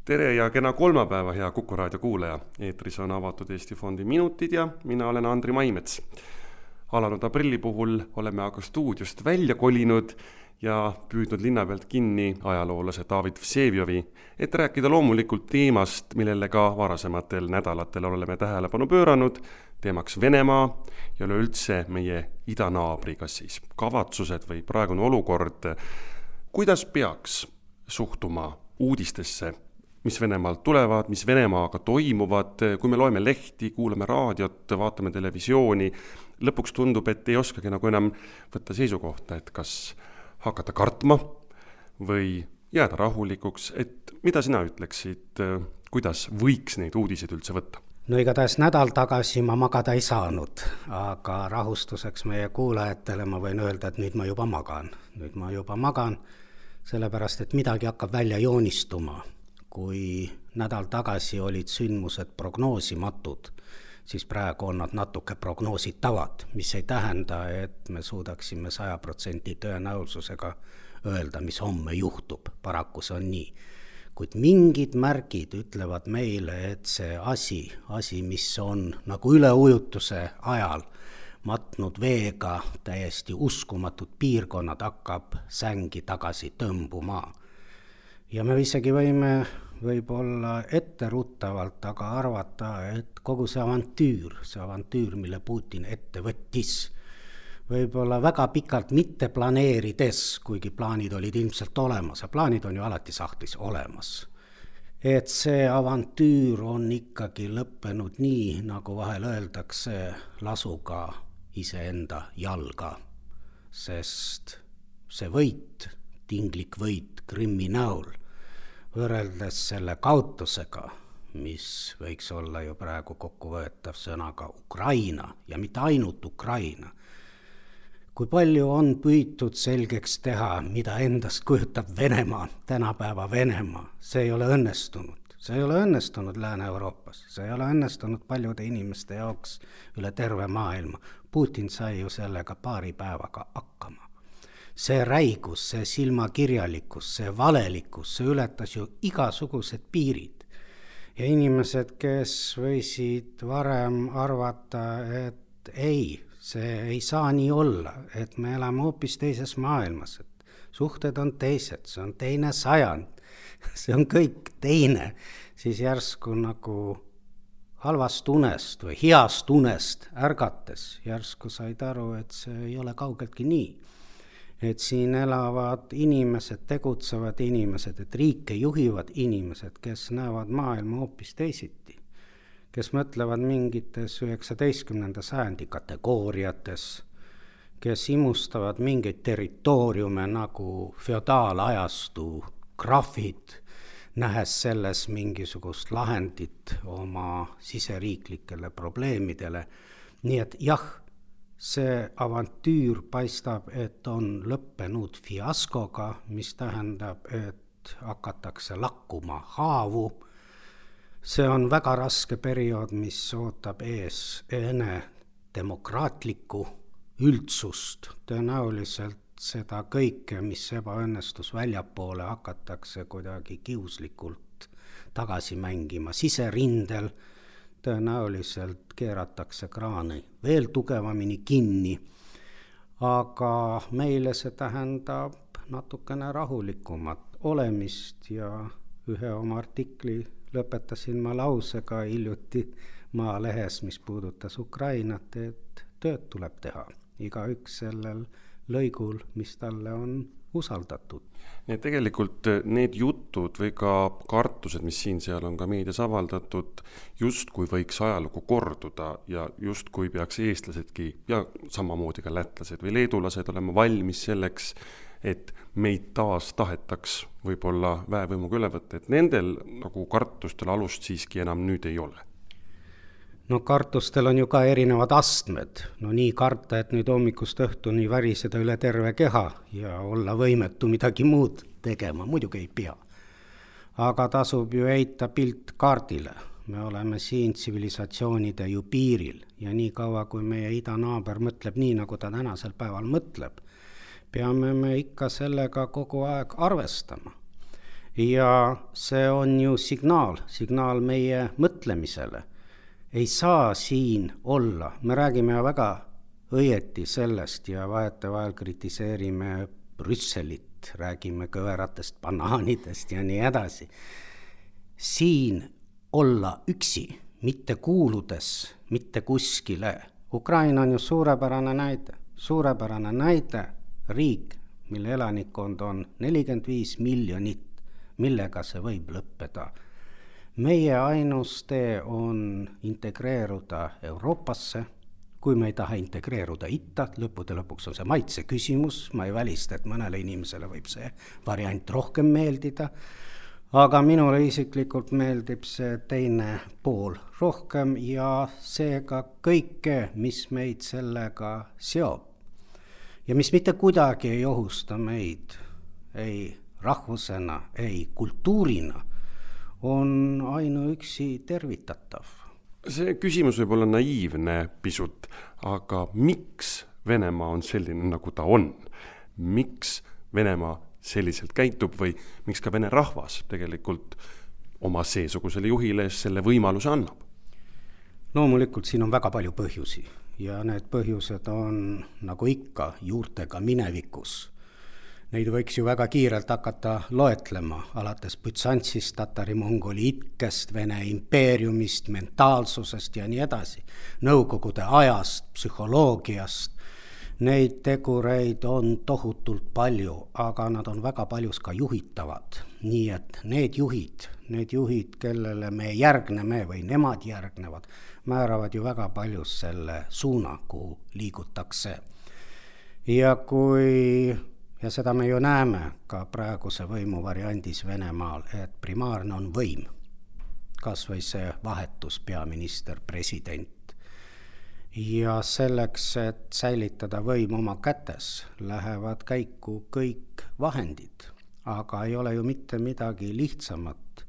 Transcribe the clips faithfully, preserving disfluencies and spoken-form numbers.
Tere ja kena kolmapäeva, hea Kuku raadio kuulaja. Eetris on avatud Eesti Fondi minutid ja mina olen Andri Maimets. Alanud aprilli puhul oleme aga stuudiost välja kolinud ja püüdnud linna pealt kinni ajaloolase David Vseviovi, et rääkida loomulikult teemast, millele ka varasematel nädalatel oleme tähelepanu pööranud, teemaks Venemaa ja üleüldse meie idanaabri, kas siis kavatsused või praegune olukord. Kuidas peaks suhtuma uudistesse, mis Venemaalt tulevad, mis Venemaaga toimuvad, kui me loeme lehti, kuulame raadiot, vaatame televisiooni, lõpuks tundub, et ei oskagi nagu enam võtta seisukohta, et kas hakata kartma või jääda rahulikuks, et mida sina ütleksid, kuidas võiks neid uudiseid üldse võtta? No igatahes nädal tagasi ma magada ei saanud, aga rahustuseks meie kuulajatele ma võin öelda, et nüüd ma juba magan. Nüüd ma juba magan, sellepärast et midagi hakkab välja joonistuma. Kui nädal tagasi olid sündmused prognoosimatud, siis praegu on nad natuke prognoositavad, mis ei tähenda, et me suudaksime saja protsendi tõenäosusega öelda, mis homme juhtub. Paraku see on nii. Kuid mingid märgid ütlevad meile, et see asi, asi, mis on nagu üleujutuse ajal matnud veega täiesti uskumatud piirkonnad, hakkab sängi tagasi tõmbuma. Ja me isegi võime võib-olla etteruttavalt aga arvata, et kogu see avantüür, see avantüür, mille Putin ette võttis, võib-olla väga pikalt mitte planeerides, kuigi plaanid olid ilmselt olemas, ja plaanid on ju alati sahtlis olemas. Et see avantüür on ikkagi lõppenud nii, nagu vahel öeldakse, lasuga iseenda jalga, sest see võit, tinglik võit Krimmi näol, võrreldes selle kaotusega, mis võiks olla ju praegu kokkuvõetav sõnaga Ukraina ja mitte ainult Ukraina. Kui palju on püütud selgeks teha, mida endast kujutab Venemaa, tänapäeva Venemaa, see ei ole õnnestunud. See ei ole õnnestunud Lääne-Euroopas, see ei ole õnnestunud paljude inimeste jaoks üle terve maailma. Putin sai ju sellega paari päevaga hakkama. See räigus, see silmakirjalikkus, see valelikkus, see ületas ju igasugused piirid. Ja inimesed, kes võisid varem arvata, et ei, see ei saa nii olla, et me elame hoopis teises maailmas, et suhted on teised, see on teine sajand, see on kõik teine, siis järsku nagu halvast unest või heast unest ärgates, järsku said aru, et see ei ole kaugeltki nii. Et siin elavad inimesed, tegutsevad inimesed, et riike juhivad inimesed, kes näevad maailma hoopis teisiti, kes mõtlevad mingites üheksateistkümnenda sajandi kategooriates, kes imustavad mingeid territooriume nagu feodaalajastu grafid, nähes selles mingisugust lahendit oma siseriiklikele probleemidele. Nii et jah, see avantüür paistab, et on lõppenud fiaskoga, mis tähendab, et hakatakse lakkuma haavu. See on väga raske periood, mis ootab ees enne demokraatlikku üldsust. Tõenäoliselt seda kõike, mis ebaõnnestus väljapoole, hakatakse kuidagi kiuslikult tagasi mängima siserindel. Tõenäoliselt keeratakse kraani veel tugevamini kinni, aga meile see tähendab natukene rahulikumat olemist ja ühe oma artikli lõpetasin ma lausega hiljuti Maalehes, mis puudutas Ukrainat, et tööd tuleb teha. Igaüks sellel lõigul, mis talle on usaldatud. Ja tegelikult need jutud või ka kartused, mis siin seal on ka meedias avaldatud, just kui võiks ajalugu korduda ja just kui peaks eestlasedki ja samamoodi ka lätlased või leedulased olema valmis selleks, et meid taas tahetaks võib-olla väevõimuga üle võtta, et nendel nagu kartustel alust siiski enam nüüd ei ole. No kartustel on ju ka erinevad astmed. No nii karta, et nüüd hommikust õhtuni väriseda üle terve keha ja olla võimetu midagi muud tegema, muidugi ei pea. Aga tasub ju heita pilt kaardile. Me oleme siin tsivilisatsioonide ju piiril ja nii kaua, kui meie idanaaber mõtleb nii, nagu ta tänasel päeval mõtleb, peame me ikka sellega kogu aeg arvestama. ja see on ju signaal, signaal meie mõtlemisele. Ei saa siin olla, me räägime väga õieti sellest ja vahetevahel kritiseerime Brüsselit, räägime kõveratest banaanidest ja nii edasi. Siin olla üksi, mitte kuuludes, mitte kuskile. Ukraina on ju suurepärane näide, suurepärane näide riik, mille elanikkond on nelikümmend viis miljonit, millega see võib lõppeda. Meie ainus tee on integreeruda Euroopasse, kui me ei taha integreeruda itta, lõppude lõpuks on see maitse küsimus, ma ei välista, et mõnele inimesele võib see variant rohkem meeldida, aga minule isiklikult meeldib see teine pool rohkem ja seega kõike, mis meid sellega seob ja mis mitte kuidagi ei ohusta meid, ei rahvusena, ei kultuurina, on ainuüksi tervitatav. See küsimus võib olla naiivne pisut, aga miks Venemaa on selline, nagu ta on? Miks Venemaa selliselt käitub või miks ka vene rahvas tegelikult oma seesugusele juhile selle võimaluse annab? Loomulikult siin on väga palju põhjusi ja need põhjused on nagu ikka juurtega minevikus. Neid võiks ju väga kiirelt hakata loetlema, alates Bütsantsist, Tatari-Mongoli itkest, Vene impeeriumist, mentaalsusest ja nii edasi. Nõukogude ajast, psühholoogiast. Neid tegureid on tohutult palju, aga nad on väga paljus ka juhitavad. Nii et need juhid, need juhid, kellele me järgneme või nemad järgnevad, määravad ju väga paljus selle suuna, kuhu liigutakse. Ja kui... Ja seda me ju näeme ka praeguse võimu variandis Venemaal, et primaarne on võim, kas või see vahetus peaminister, president. Ja selleks, et säilitada võim oma kätes, lähevad käiku kõik vahendid, aga ei ole ju mitte midagi lihtsamat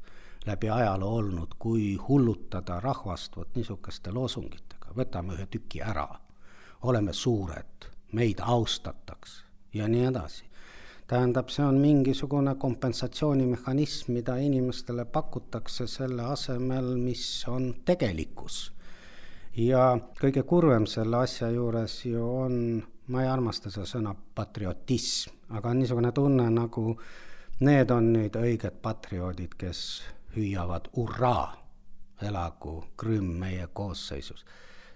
läbi ajaloo olnud, kui hullutada rahvast võt niisuguste loosungitega. Võtame ühe tüki ära, oleme suured, meid austataks. Ja nii edasi. Tähendab, see on mingisugune kompensatsioonimehhanism, mida inimestele pakutakse selle asemel, mis on tegelikkus. Ja kõige kurvem selle asja juures ju on, ma ei armasta seda sõna patriotism, aga on niisugune tunne, nagu need on nüüd õiged patrioodid, kes hüüavad urraa, elagu Krümm meie koosseisus.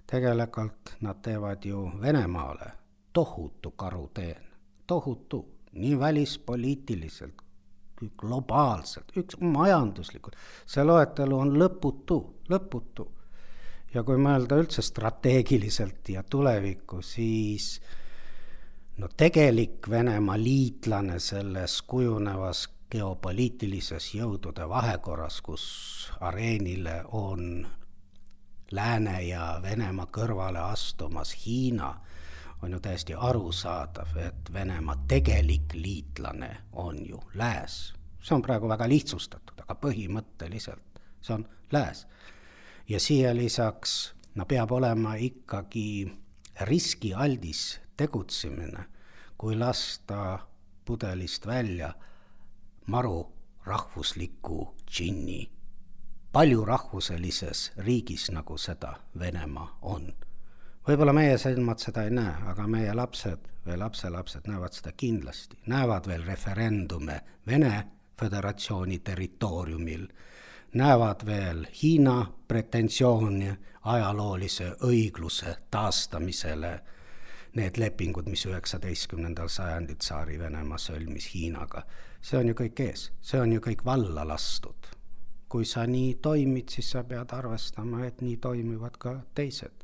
Tegelikult nad teevad ju Venemaale tohutu karuteen. Tohutu, nii välispoliitiliselt, globaalselt, üks majanduslikult. See loetelu on lõputu, lõputu. Ja kui mõelda üldse strateegiliselt ja tulevikku, siis no tegelik Venemaa liitlane selles kujunevas geopoliitilises jõudude vahekorras, kus areenile on Lääne ja Venemaa kõrvale astumas Hiina, on ju täiesti arusaadav, et Venemaa tegelik liitlane on ju lääs. See on praegu väga lihtsustatud, aga põhimõtteliselt see on lääs. Ja siia lisaks no, peab olema ikkagi riskialdis tegutsemine, kui lasta pudelist välja maru rahvusliku džinni. Palju rahvuselises riigis, nagu seda Venemaa on. Võib-olla meie silmad seda ei näe, aga meie lapsed või lapselapsed näevad seda kindlasti. Näevad veel referendume Vene Föderatsiooni territooriumil, näevad veel Hiina pretensiooni ajaloolise õigluse taastamisele, need lepingud, mis üheksateistkümnendal sajandil Tsaari Venemaa sõlmis Hiinaga. See on ju kõik ees, see on ju kõik valla lastud. Kui sa nii toimid, siis sa pead arvestama, et nii toimivad ka teised.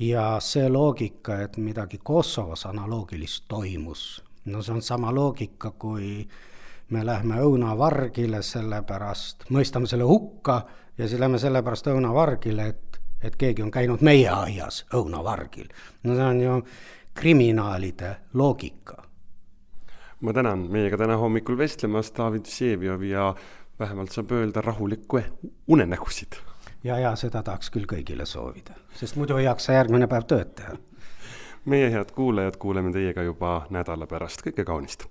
Ja see loogika, et midagi Kosovos analoogilist toimus, no see on sama loogika, kui me lähme õunavargile sellepärast, mõistame selle hukka ja siis lähme sellepärast õunavargile, et, et keegi on käinud meie aias õunavargil. No see on ju kriminaalide loogika. Ma tänan meiega täna hommikul vestlemas David Vseviov ja vähemalt saab öelda rahulikku unenägusid. Ja, ja seda tahaks küll kõigile soovida, sest muidu ei jaksa järgmine päev tööd teha. Meie head kuulajad kuuleme teiega juba nädala pärast. Kõike kaunist!